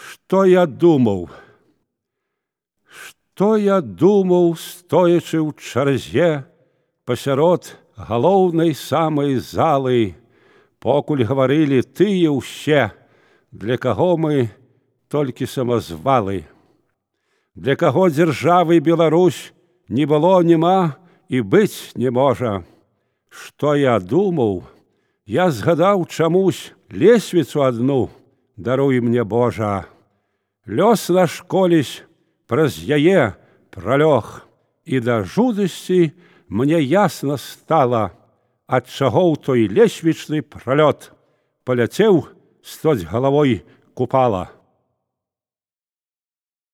Што я думаў? Што я думаў, стоячы ў чарзе пасярод галоўнай самай залы, покуль гаварылі тыя ўсе, для каго мы толькі самазвалы. Для каго дзяржавы Беларусь не было, нема і быць не можа. Што я думаў, я згадаў чамусь лесвіцу адну, даруй мне Божа. Лёс наш колісь праз яе пралёг, і да жудасці мне ясна стала, ад чаго ў той лесвічны пралёт паляцеў стоць галавой купала.